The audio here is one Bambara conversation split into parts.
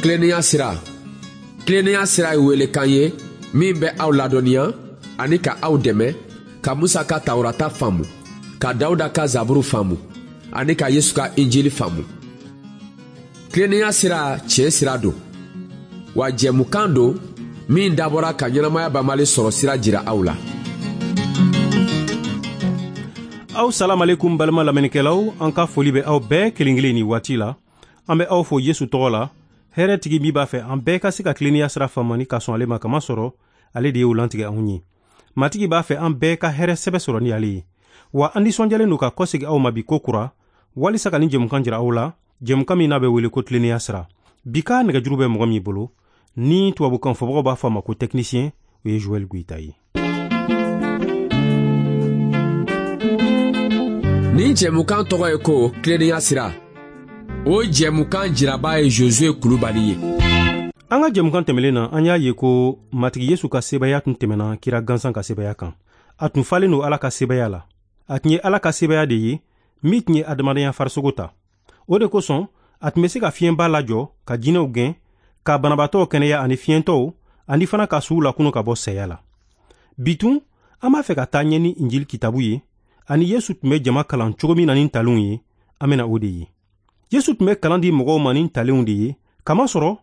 Tilennenya sira. Tilennenya sira ye welekan ye min bɛ aw ladɔnniya ani ka aw dɛmɛ ka Musa ka Tawurata faamu, ka Dawuda ka Zaburu faamu ani ka Yesu ka Injili faamu. Tilennenya sira tiɲɛ sira don, wa jɛmukan don min dabɔra ka ɲɛnamaya banbali sɔrɔ sira jira aw la. Aw salamalekum balima lamɛnnikɛlaw, an ka foli bɛ aw bɛɛ kelen kelen nin waati la. An bɛ aw fo Yesu tɔgɔ la, hɛrɛ tigi min b'a fɛ an bɛɛ ka se ka tilennenya sira faamu ani ka sɔn ale ma, kamasɔrɔ ale de y'o lantigɛ anw ye. Matigi b'a fɛ an bɛɛ ka hɛrɛ sɛbɛ sɔrɔ ni ale ye. Wa an nisɔndiyalen don ka kɔsegin aw ma bi ko kura, walisa ka nin jɛmukan jira aw la, jɛmukan min n'a bɛ wele ko tilennenya sira. Bi ka nɛgɛjuru bɛ mɔgɔ min bolo, ni tubabukan fɔbagaw b'a fɔ a ma ko technicien, o ye Joël Goïta ye. Nin jɛmukan tɔgɔ ye ko tilennenya sira. O jɛmukan jiraba ye Josué Kulubali ye. An ka jɛmukan tɛmɛlen na, an y'a ye ko Matigi Yesu ka sebaya tun tɛmɛna kira gansan ka sebaya kan. A tun falen don Ala ka sebaya la. A tun ye Ala ka sebaya de ye min tun ye adamadenya farisogo ta. O de kosɔn, a tun bɛ se ka fiɲɛba lajɔ, ka jinɛw gɛn, ka banabaatɔw kɛnɛya ani fiɲɛtɔw, ani fana ka suw lakunu ka bɔ saya la. Bi tun, an b'a fɛ ka taa ɲɛ ni Injili kitabu ye, ani Yesu tun bɛ jama kalan cogo min na ni ntalenw ye, an bɛna o de ye. Yesu tun bɛ kalan di mɔgɔw ma ni ntalenw de ye, kamasɔrɔ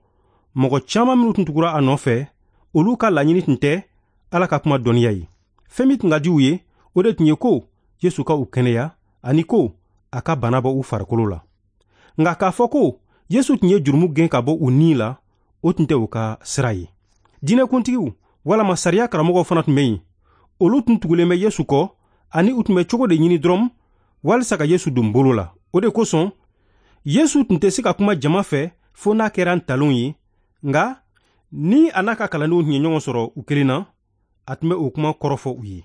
mɔgɔ caman minnu tun tugura a nɔfɛ, olu ka laɲini tun tɛ Ala ka kuma dɔnniya ye. Fɛn min tun ka di u ye, o de tun ye ko Yesu ka u kɛnɛya ani ko a ka bana bɔ u farikolo la. Nka k'a fɔ ko Yesu tun ye jurumu gɛn ka bɔ u ni la, o tun tɛ u ka sira ye. Diinɛkuntigiw walama sariya karamɔgɔw fana tun bɛ yen. Olu tun tugulen bɛ Yesu kɔ ani u tun bɛ cogo de ɲini dɔrɔn walisa ka Yesu don bolo la. O de kosɔn, Yesu tun tɛ se ka kuma jama fɛ fo n'a kɛra ntalonw ye, nka ni a n'a ka kalandenw tun ye ɲɔgɔn sɔrɔ u kelen na, a tun bɛ o kuma kɔrɔfɔ u ye.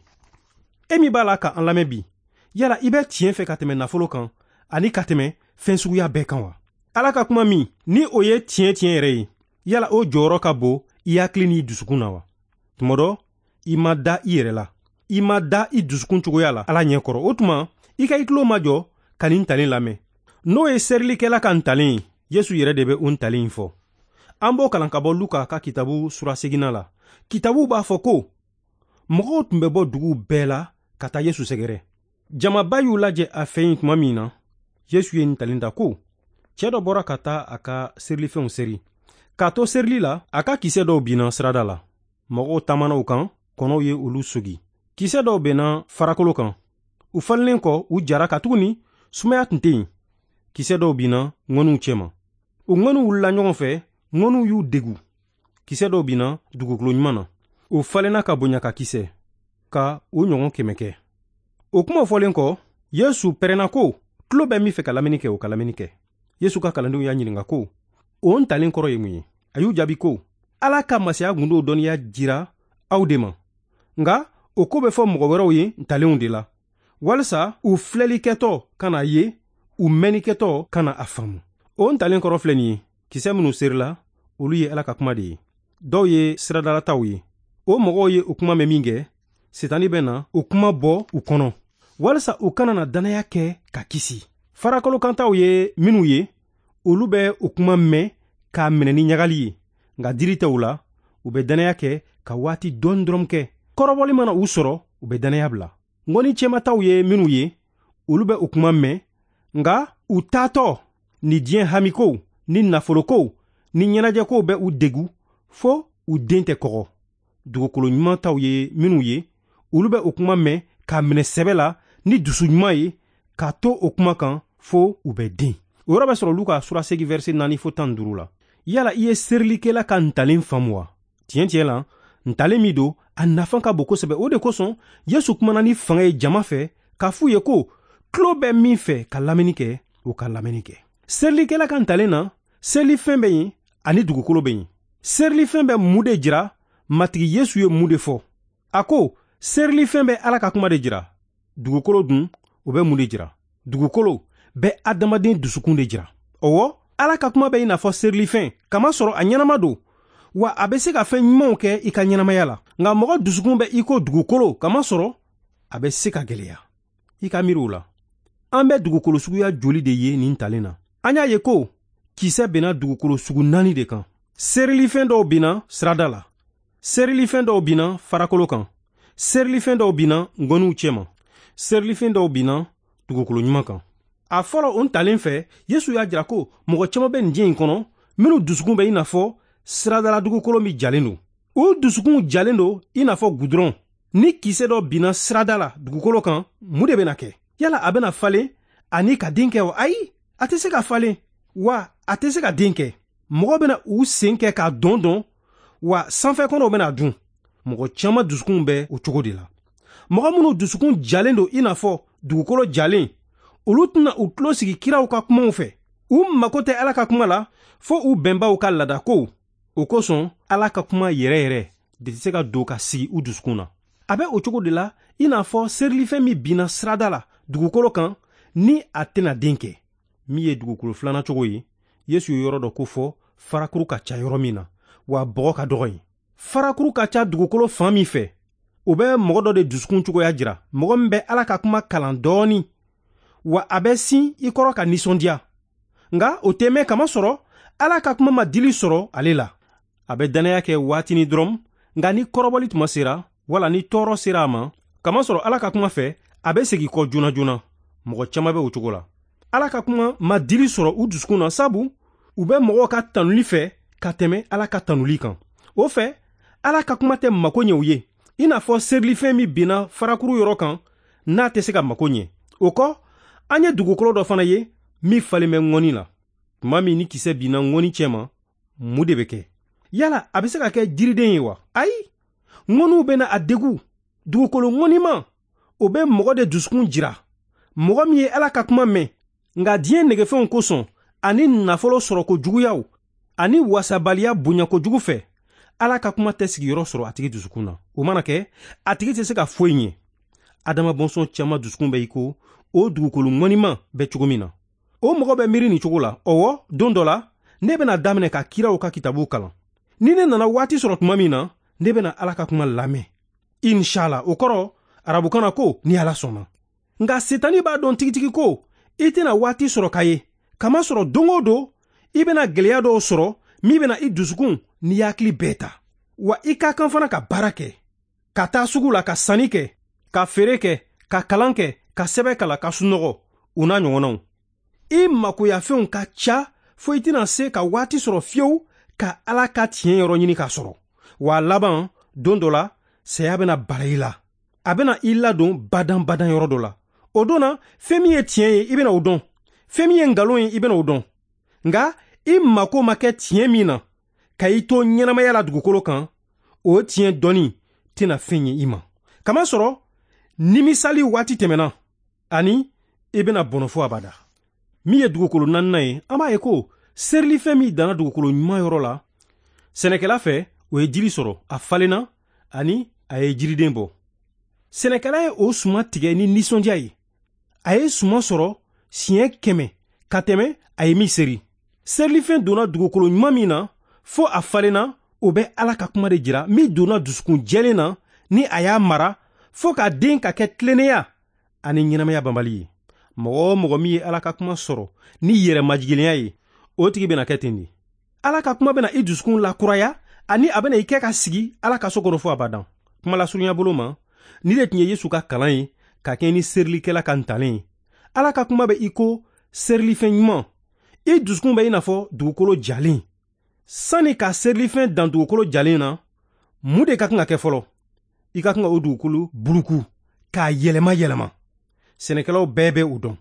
E min b'a la ka an lamɛn bi, yala i bɛ tiɲɛ fɛ ka tɛmɛ nafolo kan ani ka tɛmɛ fɛn suguya bɛɛ kan wa? Ala ka kuma min ni o ye tiɲɛ tiɲɛ yɛrɛ ye, yala o jɔyɔrɔ ka bon i hakili n'i dusukun na wa? Tuma dɔ, i ma da i yɛrɛ la, i ma da i dusukun cogoya la Ala ɲɛ kɔrɔ. O tuma, i ka i tulo majɔ ka nin ntalen lamɛn. N'o ye serilikɛla ka ntalen ye, Yesu yɛrɛ de bɛ o ntalen in fɔ. An b'o kalan ka bɔ Luka ka kitabu sura seginna la. Kitabu b'a fɔ ko mɔgɔw tun bɛ bɔ duguw bɛɛ la ka taa Yesu sɛgɛrɛ. Jamaba y'u lajɛ a fɛ yen tuma min na, Yesu ye ntalen ta ko cɛ dɔ bɔra ka taa a ka serilifɛnw seri. K'a to serili la, a ka kisɛ dɔw binna sirada la. Mɔgɔw taamana u kan, kɔnɔw ye olu sogi. Kisɛ dɔw benna farakolo kan. U falennen kɔ, u jara katuguni sumaya tun tɛ yen. Kisɛ dɔw binna ŋɔniw cɛma. U ŋɔniw wulila ɲɔgɔn fɛ, ŋɔniw y'u degu. Kisɛ dɔw binna dugukolo ɲuman na. U falenna ka bonya ka kisɛ, ka u ɲɔgɔn 100 kɛ. O kuma fɔlen kɔ, Yesu pɛrɛnna ko, tulo bɛ min fɛ ka lamɛnni kɛ, o ka lamɛnni kɛ. Yesu ka kalandenw y'a ɲininka ko, o ntalen kɔrɔ ye mun ye? A y'u jaabi ko, Ala ka masaya gundow dɔnniya jira aw de ma. Nka o ko bɛ fɔ mɔgɔ wɛrɛw ye ntalenw de la, walisa u filɛlikɛtɔ kana ye, u mɛnnikɛtɔ kana a faamu. O ntalen kɔrɔ filɛ nin ye, kisɛ minnu serila, olu ye Ala ka kuma de ye. Dɔw ye siradalataw ye. O mɔgɔw ye o kuma mɛn min kɛ, Sitani bɛ na o kuma bɔ u kɔnɔ, walisa u kana na dannaya kɛ ka kisi. Farakolokantaw ye minnu ye, olu bɛ o kuma mɛn k'a minɛ ni ɲagali ye, nka diri tɛ u la, u bɛ dannaya kɛ ka waati dɔɔni dɔrɔn kɛ. Kɔrɔbɔli mana u sɔrɔ, u bɛ dannaya bila. Ŋɔni cɛmataw ye minnu ye, olu bɛ o kuma mɛn, nka u taatɔ ni diɲɛ hamikow, ni nafolokow, ni ɲɛnajɛkow bɛ u degu fo u den tɛ kɔgɔ. Dugukolo ɲuman taw ye minnu ye, olu bɛ o kuma mɛn k'a minɛ sɛbɛ la ni dusu ɲuman ye, k'a to o kuma kan fo u bɛ den. O yɔrɔ bɛ sɔrɔ Luka sura 8 verset 4 fo 15 la. Yala i ye serilikɛla ka ntalen faamu wa? Tiɲɛ tiɲɛ la, ntalen min don, a nafa ka bon kosɛbɛ. O de kosɔn, Yesu kumana ni fanga ye jama fɛ k'a f'u ye ko tulo bɛ min fɛ ka lamɛnni kɛ, o ka lamɛnni kɛ. Serilikɛla ka ntalen na, serilifɛn bɛ yen ani dugukolo bɛ yen. Serilifɛn bɛ mun de jira? Matigi Yesu ye mun de fɔ? A ko serilifɛn bɛ Ala ka kuma de jira. Dugukolo dun, o bɛ mun de jira? Dugukolo bɛ adamaden dusukun de jira. Ɔwɔ, Ala ka kuma bɛ i n'a fɔ serilifɛn, kamasɔrɔ a ɲɛnama don, wa a bɛ se ka fɛn ɲumanw kɛ i ka ɲɛnamaya la. Nka mɔgɔ dusukun bɛ i ko dugukolo, kamasɔrɔ a bɛ se ka gɛlɛya. I ka miiri o la. An bɛ dugukolo suguya joli de ye nin talen na? An y'a ye ko Kisɛ benna dugukolo sugu 4 de kan. Serilifɛn dɔw binna sirada la, serilifɛn dɔw binna farakolo kan, serilifɛn dɔw binna ngɔniw cɛma, serilifɛn dɔw binna dugukolo ɲuman kan. A fɔlɔ o ntalen fɛ, Yesu y'a jira ko mɔgɔ caman bɛ nin diɲɛ in kɔnɔ minnu dusukun bɛ i n'a fɔ siradala dugukolo min jalen don. U dusukun jalen don i n'a fɔ gudɔrɔn. Ni kisɛ dɔ binna sirada la dugukolo kan, mun de bɛna kɛ? Yala a bɛna falen ani ka den kɛ wa? Ayi, a tɛ se ka falen, wa a tɛ se ka den kɛ. Mɔgɔ bɛna u sen kɛ k'a dɔn dɔn, wa sanfɛ kɔnɔw bɛna dun. Mɔgɔ caman dusukun bɛ o cogo de la. Mɔgɔ minnu dusukun jalen don i n'a fɔ dugukolo jalen, olu tɛna u tulo sigi kiraw ka kumaw fɛ. U mako tɛ Ala ka kuma la fo u bɛnbaw ka laadakow. O kosɔn Ala ka kuma yɛrɛ yɛrɛ de tɛ se ka don ka sigi u dusukun na. A bɛ o cogo de la i n'a fɔ serilifɛn min binna sirada la dugukolo kan ni a tɛna den kɛ. Min ye dugukolo filanan cogo ye, Yesu ye yɔrɔ dɔ ko fɔ farakuru ka ca yɔrɔ min na, wa bɔgɔ ka dɔgɔ yen. Farakuru ka ca dugukolo fan min fɛ, o bɛ mɔgɔ dɔ de dusukun cogoya jira, mɔgɔ min bɛ Ala ka kuma kalan dɔɔni, wa a bɛ sin i kɔrɔ ka nisɔndiya. Nka o tɛ mɛn kamasɔrɔ Ala ka kuma ma dili sɔrɔ ale la. A bɛ dannaya kɛ waatinin dɔrɔn, nka ni kɔrɔbɔli tuma sera, wala ni tɔɔrɔ sera a ma, kamasɔrɔ Ala ka kuma fɛ, a bɛ segin kɔ joona joona. Mɔgɔ caman bɛ o cogo la. Ala ka kuma ma dili sɔrɔ u dusukun na, sabu u bɛ mɔgɔw ka tanuli fɛ ka tɛmɛ Ala ka tanuli kan. O fɛ, Ala ka kuma tɛ mako ɲɛ u ye, i n'a fɔ serilifɛn min binna farakuru yɔrɔ kan n'a tɛ se ka mako ɲɛ. O kɔ, an ye dugukolo dɔ fana ye min falen bɛ ŋɔni la. Tuma min ni kisɛ binna ŋɔni cɛma, mun de bɛ kɛ? Yala a bɛ se ka kɛ jiriden ye wa? Ayi, ŋɔniw bɛna a degun. Dugukolo ŋɔnima, o bɛ mɔgɔ de dusukun jira, mɔgɔ min ye Ala ka kuma mɛn, nka diɲɛ negefɛnw kosɔn ani nafolo sɔrɔko juguyaw ani wasabaliya bonyako jugu fɛ, Ala ka kuma tɛ sigiyɔrɔ sɔrɔ a tigi dusukun na. O mana kɛ, a tigi tɛ se ka foyi ɲɛ. Adama bɔnsɔn caman dusukun bɛ i ko o dugukolo ŋɔnima bɛ cogo min na. O mɔgɔ bɛ miiri nin cogo la: ɔwɔ, don dɔ la ne bɛna daminɛ ka kiraw ka kitabuw kalan. Ni ne nana waati sɔrɔ tuma min na, ne bɛna Ala ka kuma lamɛn. Inshallah, o kɔrɔ arabukan na ko ni Ala sɔnna. Nka Setani b'a dɔn tigitigi ko i tɛna waati sɔrɔ ka ye, kamasɔrɔ don o don i bɛna gɛlɛya dɔw sɔrɔ min bɛna i dusukun n'i hakili bɛɛ ta. Wa i ka kan fana ka baara kɛ, ka taa sugu la ka sanni kɛ, ka feere kɛ, ka kalan kɛ, ka sɛbɛn kalan, ka sunɔgɔ, o n'a ɲɔgɔnnaw. I makoyafɛnw ka ca fo i tɛna se ka waati sɔrɔ fiyewu ka Ala ka tiɲɛ yɔrɔ ɲini k'a sɔrɔ. Wa laban, don dɔ la, saya bɛna bala i la. A bɛna i ladon badan badan yɔrɔ dɔ la. O don na, fɛn min ye tiɲɛ ye, i bɛna o dɔn. Fɛn min ye nkalon ye, i bɛna o dɔn. Nka i mako ma kɛ tiɲɛ min na, ka i to ɲɛnamaya la dugukolo kan, o tiɲɛ dɔnni tɛna fɛn ye i ma. Kamasɔrɔ nimisali waati tɛmɛna, ani i bɛna bɔnɔ fo abada. Min ye dugukolo naaninan ye, an b'a ye ko serilifɛn min danna dugukolo ɲuman yɔrɔ la, sɛnɛkɛla fɛ, o ye jiri sɔrɔ, a falenna ani a ye jiriden bɔ. Sɛnɛkɛla ye o suman tigɛ ni nisɔndiya ye. A ye suman sɔrɔ siɲɛ 100 ka tɛmɛ a ye min seri. Serilifɛn donna dugukolo ɲuman min na fo a falenna, o bɛ Ala ka kuma de jira min donna dusukun jɛlen na ni a y'a mara fo ka den ka kɛ tilennenya ani ɲɛnamaya banbali ye. Mɔgɔ o mɔgɔ min ye Ala ka kuma sɔrɔ ni yɛrɛ majiginlenya ye, o tigi bɛna kɛ ten de. Ala ka kuma bɛna i dusukun lakuraya ani a bɛna i kɛ ka sigi Ala ka so kɔnɔ fo abadan. Kuma lasurunya bolo ma, ni de tun ye Yesu ka kalan ye ka kɛɲɛ ni serilikɛla ka ntalen ye. Ala ka kuma bɛ i ko serilifɛn ɲuman. I dusukun bɛ i n'a fɔ dugukolo jalen. Sani ka serilifɛn dan dugukolo jalen na, mun de ka kan ka kɛ fɔlɔ? I ka kan ka o dugukolo buluku k'a yɛlɛma yɛlɛma. Sɛnɛkɛlaw bɛɛ bɛ o dɔn.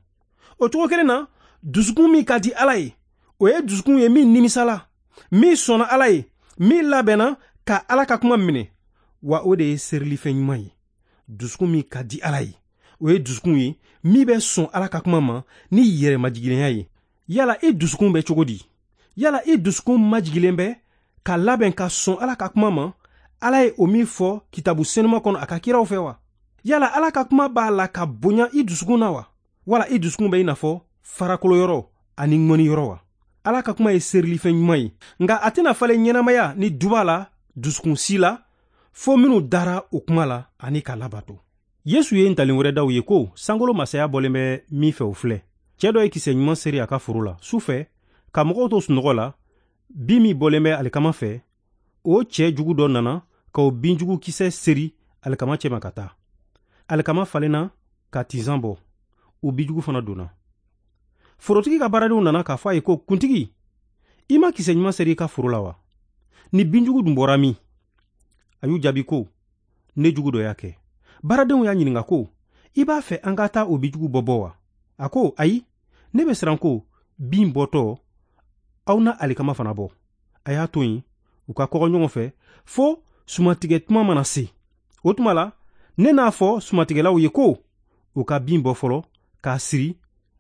O cogo kelen na, dusukun min ka di Ala ye, o ye dusukun ye min nimisala, min sɔnna Ala ye, min labɛnna ka Ala ka kuma minɛ, wa o de ye serilifɛn ɲuman ye. Dusukun min ka di Ala ye, o ye dusukun ye min bɛ sɔn Ala ka kuma ma ni yɛrɛmajiginlenya ye. Yala i dusukun bɛ cogo di? Yala i dusukun majigilen bɛ ka labɛn ka sɔn Ala ka kuma ma, Ala ye o min fɔ kitabu senuma kɔnɔ a ka kiraw fɛ wa? Yala Ala ka kuma b'a la ka bonya i dusukun na wa? Wala i dusukun bɛ i n'a fɔ farakolo yɔrɔ ani ŋɔni yɔrɔ wa? Ala ka kuma ye serilifɛn ɲuman ye, nka a tɛna falen ɲɛnamaya ni duba la dusukun si la fo minnu dara o kuma la ani k'a labato. Yesu ye ntalen wɛrɛ daw ye ko sankolo masaya bɔlen bɛ min fɛ o filɛ. Cɛ dɔ ye kisɛ ɲuman seri a ka foro la. Su fɛ, Ka mɔgɔw to sunɔgɔ la, bin min bɔlen bɛ alikama fɛ, o cɛ jugu dɔ nana ka o binjugu kisɛ seri alikama cɛma ka taa. Alikama falenna ka tinsan bɔ, o binjugu fana donna. Forotigi ka baaradenw nana k'a fɔ a ye ko, kuntigi, i ma kisɛ ɲuman seri i ka foro la wa? Ni binjugu dun bɔra min? A y'u jaabi ko, ne jugu dɔ y'a kɛ. Baaradenw y'a ɲininka ko, i b'a fɛ an ka taa o binjugu bɔ bɔ wa? A ko, ayi, ne bɛ siran ko bin bɔtɔ aw na alikama fana bɔ. A y'a to yen u ka kɔgɔ ɲɔgɔn fɛ fo sumatigɛ tuma mana se. O tuma la, ne n'a fɔ sumatigɛlaw ye ko u ka bin bɔ fɔlɔ k'a siri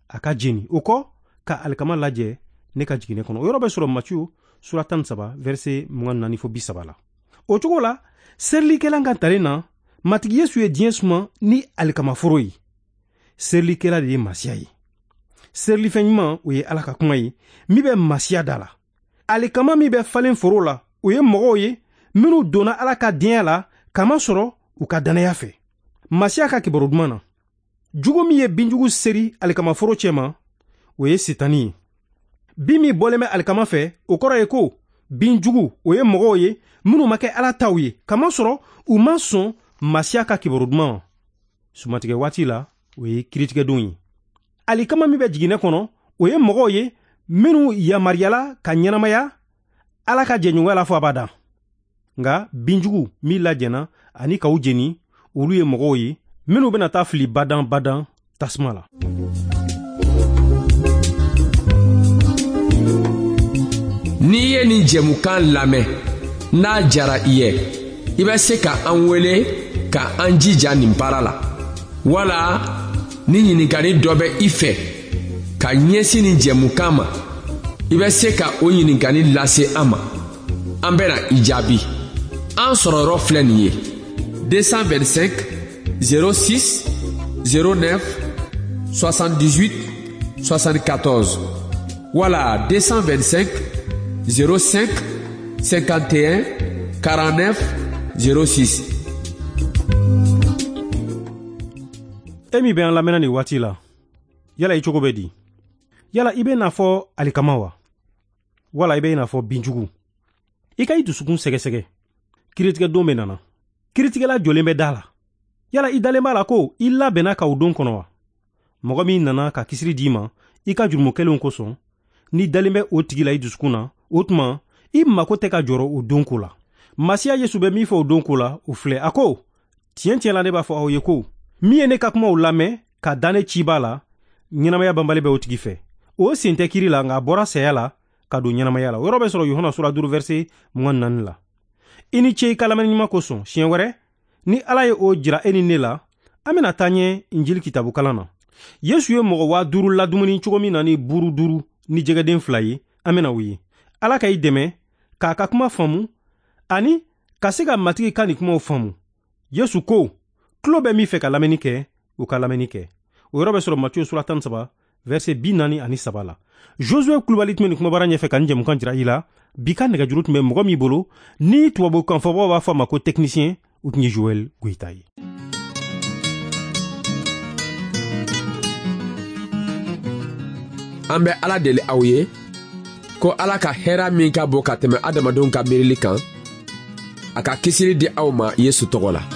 a ka jeni, o kɔ ka alikama lajɛ ne ka jiginɛ kɔnɔ. O yɔrɔ bɛ sɔrɔ Matiyu sura 13 verset 24 fo 30 la. O cogo la, serilikɛla ka talen na, Matigi Yesu ye diɲɛ suma ni alikamaforo ye. Serilikɛla de ye Masiya ye. Serilifɛn ɲuman, o ye Ala ka kuma ye min bɛ Masiya da la. Alikama min bɛ falen foro la, o ye mɔgɔw ye minnu donna Ala ka denya la kamasɔrɔ u ka dannaya fɛ Masiya ka kibaru duman na. Jugu min ye binjugu seri alikamaforo cɛma, o ye Sitani ye. Bin min bɔlen bɛ alikama fɛ, o kɔrɔ ye ko binjugu, o ye mɔgɔw ye minnu ma kɛ Ala taw ye kamasɔrɔ u ma sɔn Masiya ka kibaru duman ma. Sumatigɛ waati la, o ye kiiritigɛdon ye. Alikama min bɛ jiginɛ kɔnɔ, o ye mɔgɔw ye minnu yamaruyala ka ɲɛnamaya Ala ka jɛɲɔgɔnya la fo abada. Nka binjugu min lajɛna ani k'u jeni, olu ye mɔgɔw ye minnu bɛna taa fili badan badan tasuma la. N'i ye nin jɛmukan lamɛn, n'a jara i ye, i bɛ se ka an wele ka an jija nin baara la. Wala ni ɲininkali dɔ bɛ i fɛ ka ɲɛsin nin jɛmukan ma, i bɛ se ka o ɲininkali lase an ma. An bɛna i jaabi. An sɔrɔ yɔrɔ filɛ nin ye: 225 06 09 78 74 wala 225 05 51 49 06. E min bɛ an lamɛnna nin waati la, yala i cogo bɛ di? Yala i bɛ n'a fɔ alikama wa? Wala i bɛ n'a fɔ binjugu? I ka i dusukun sɛgɛsɛgɛ. Kiiritigɛ don bɛ nana. Kiiritigɛla jɔlen bɛ da la. Yala i dalen b'a la ko i labɛnna ka o don kɔnɔ wa? Mɔgɔ min nana ka kisiri d'i ma i ka jurumu kɛlenw kosɔn, n'i dalen bɛ o tigi la i dusukun na, o tuma i mako tɛ ka jɔrɔ o don ko la. Masiya Yesu bɛ min fɔ o don ko la, o filɛ. A ko, tiɲɛ tiɲɛ la ne b'a fɔ aw ye ko, min ye ne ka kumaw lamɛn ka da ne ciba la, ɲɛnamaya banbali bɛ o tigi fɛ. O sen tɛ kiri la, nka a bɔra saya la ka don ɲɛnamaya la. O yɔrɔ bɛ sɔrɔ Yohana sura 5 verset 24 la. I ni ce i ka lamɛnni ɲuman kosɔn. Siɲɛ wɛrɛ, ni Ala ye o jira e ni ne la, an bɛna taa ɲɛ Injili kitabu kalan na. Yesu ye mɔgɔ 5000 ladumuni cogo min na ni buru 5 ni jɛgɛden 2 ye, an bɛna o ye. Ala ka i dɛmɛ k'a ka kuma faamu ani ka se ka Matigi ka nin kumaw faamu. Yesu ko, tulo bɛ min fɛ ka lamɛnni kɛ, o ka lamɛnni kɛ. O yɔrɔ bɛ sɔrɔ Matiyu sura 13 verset 43 la. Josué Kulubali tun bɛ nin kumabara ɲɛfɛ ka nin jɛmukan jira i la. Bi ka nɛgɛjuru tun bɛ mɔgɔ min bolo, ni tubabukan fɔbagaw b'a fɔ a ma ko technicien, o tun ye Joël Goyita ye. An bɛ Ala deli aw ye ko Ala ka hɛrɛ min ka bon ka tɛmɛ adamadenw ka miirili kan, a ka kisili di aw ma Yesu tɔgɔ la.